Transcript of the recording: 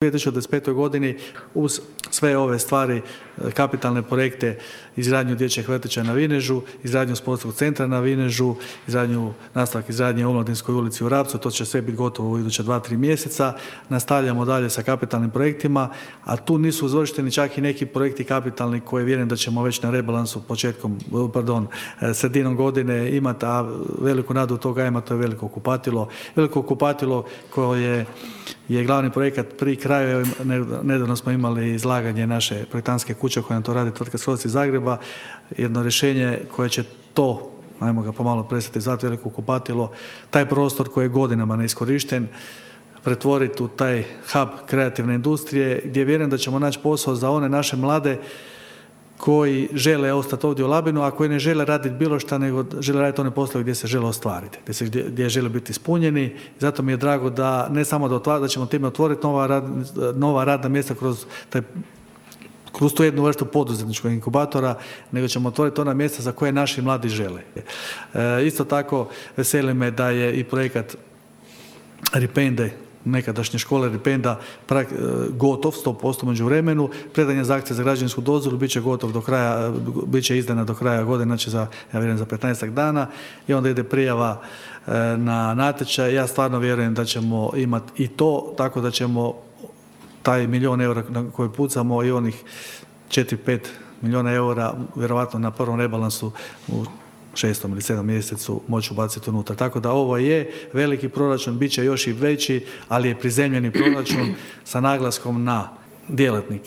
U 2025. godini uz sve ove stvari, kapitalne projekte, izgradnju dječjeg vrtića na Vinežu, izgradnju sportskog centra na Vinežu, nastavak izgradnje u Omladinskoj ulici u Rapcu, to će sve biti gotovo u iduća 2-3 mjeseca. Nastavljamo dalje sa kapitalnim projektima, a tu nisu izvršteni čak i neki projekti kapitalni koje vjerujem da ćemo već na rebalansu sredinom godine imati, a veliku nadu toga ima, to je Veliko kupatilo. Veliko kupatilo koje je glavni projekat pri kraju. Nedavno smo imali izlaganje naše projektantske kuće koja nam to radi, tvrtka Skroz iz Zagreba, jedno rješenje koje će to, ajmo ga pomalo prestati zvati Veliko kupatilo, taj prostor koji je godinama neiskorišten, pretvoriti u taj hub kreativne industrije, gdje vjerujem da ćemo naći posao za one naše mlade koji žele ostati ovdje u Labinu, a koji ne žele raditi bilo šta, nego žele raditi one poslove gdje se žele ostvariti, gdje žele biti ispunjeni. Zato mi je drago da ne samo da ćemo time otvoriti nova radna mjesta kroz tu jednu vrstu poduzetničkog inkubatora, nego ćemo otvoriti ona mjesta za koje naši mladi žele. Isto tako veseli me da je i projekat Ripende, nekadašnje škole Ripenda, gotov 100% međuvremenu. Predanje zahtjeva za građevinsku dozvolu bit će gotov do kraja, bit će izdana do kraja godine, znači ja vjerujem za 15 dana, i onda ide prijava na natječaj. Ja stvarno vjerujem da ćemo imati i to, tako da ćemo taj 1 milijun eura na koji pucamo i onih 4-5 milijuna eura vjerovatno na prvom rebalansu u 6. ili 7. mjesecu moći ubaciti unutra. Tako da ovo je veliki proračun, bit će još i veći, ali je prizemljeni proračun sa naglaskom na djelatnike.